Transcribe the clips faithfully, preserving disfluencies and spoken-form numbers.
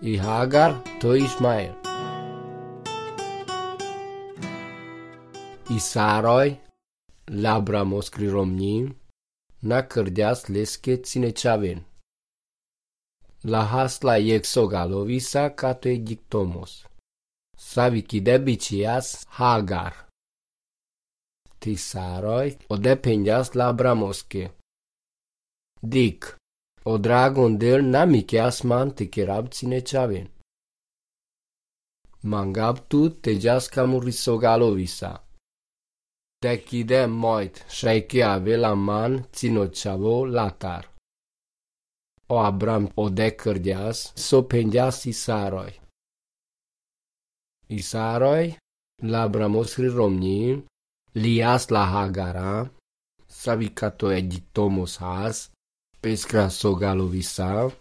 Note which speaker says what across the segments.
Speaker 1: η Χάγαρ το Ισμαήλ. Η Σάρoj λάμπραμο σκρυρομνή να κερδιάς λες και τσινετσαβέν. Λαχάσλα εξωγαλοβίσα κάτω Αιγυπτόμος. Σαβικίδε μπιτσιάς Χάγαρ. Τη Σάρoj οδεπένιας λάμπραμοσκε. Δίκ. Ο dragon del namikias man te kerab tsine Mangab tu te jaskamu risogalovisa. Te kide moit shaike avela man tsino chavo latar. O Abram o dekerdias so pendias i Sároj. I Sároj labramos romni lias la Hagara savikato Aigiptomos has Peskra sogalovisa,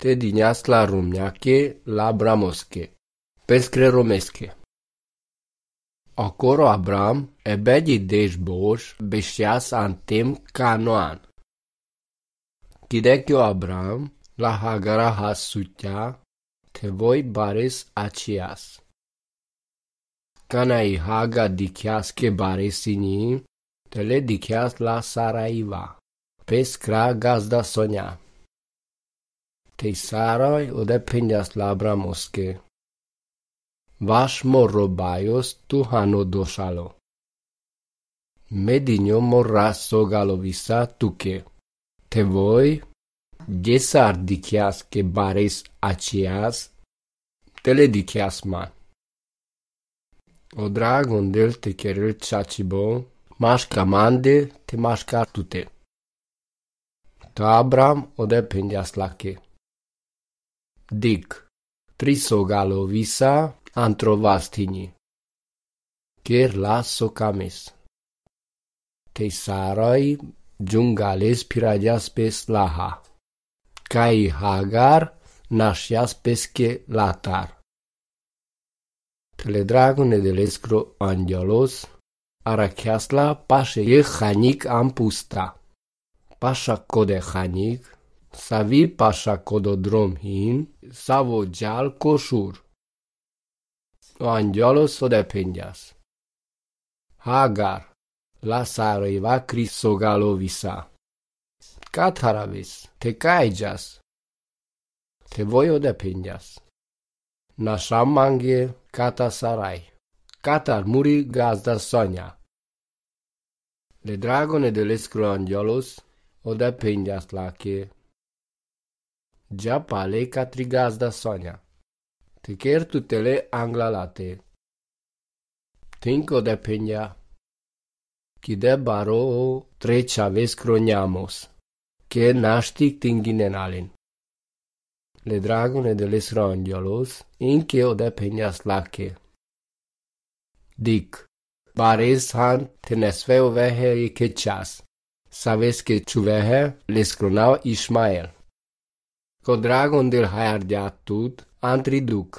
Speaker 1: te dinias la rumňake la bramoske, peskre romeske. Akoro Abram ebedi deš bož bešias antem Kanoan. Kidekio Abram la Hagara has sutja, te voi bares acias. Kanai Haga dikias ke baresini, te le dikias la Saraiva. Peskra gazda Sonia. Tej Sároj odepenias labramoske. Vaš morrobajos tu hano došalo. Medinio morras sogalovisa tuke. Te voi, desar dikias ke bares acias, tele dikias man. O dragon del te kerel chachibo, maška mande te maška tute. To Abram odepenias lake. Dik. Trisogalovisa antrovastini. Ker la sokames. Tej Sároj džungales piradias pes laha. Kai Hagar našias peske latar. Teledragone delescro angelos arachiasla paše je chanik ampusta. Pasha kode chanik, savi pasha kododrom hin, savo jal koshur. O angelos odepenias. Hagar, la Sárojva krisogalovisa. Kataravis, te kaijas. Te voi odepenias. Naša mangie kata Sarai. Katar muri gazda Sonia. Le dragone delescro angelos odepenias lake. Già pale catri gazda Sonia. Te ker tutele anglalate. Tinko odepenia. Kide baro trechaves croniamos. Che naštik tinginenalin. Le dragone delescro angelos inke odepenias lake. Dik. Bares han tenesveo vehe ikechas. Sabes que čuvehe lescronau Ismael. Ko dragon del hayardiatut antriduk.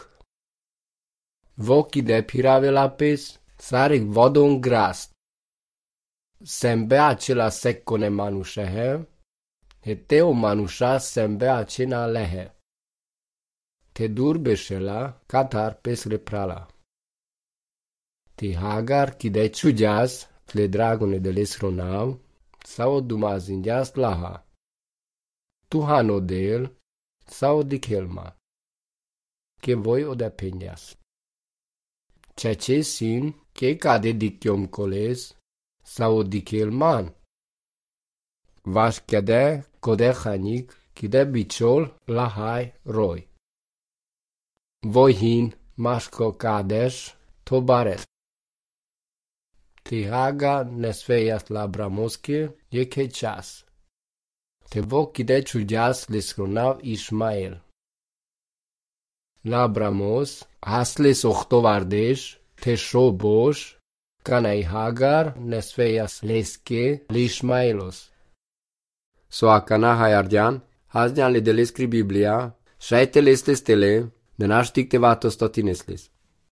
Speaker 1: Voki de pirave lapes, sarek vodon grast. Sembe acela seccone manushehe, heteo manusha sembe acena lehe. Te durbeshela katar pesre prala. Ti Hagar kide čudias, tle dragone delescronau, sau dumazindias laha. Tu hanodel, sau dikelma. Che voi odepenias. Cece sin, che cade dikiom coles, sau dikelman. Vaš kede kode chanik, kide bichol lahai roi. Voi hin, maško kadesh, to baret. Ti Haga nesvejas labramoske je kechas. Te vo kide čudias lescronau Ismael. Labramos hasles ochtovardesh te sho bosh kanai Hagar nesvejas leske l'Ismaelos. So akana hayardian, hazdian le delescri Biblia, shaite lestes tele, de naštik te vatos totinesles.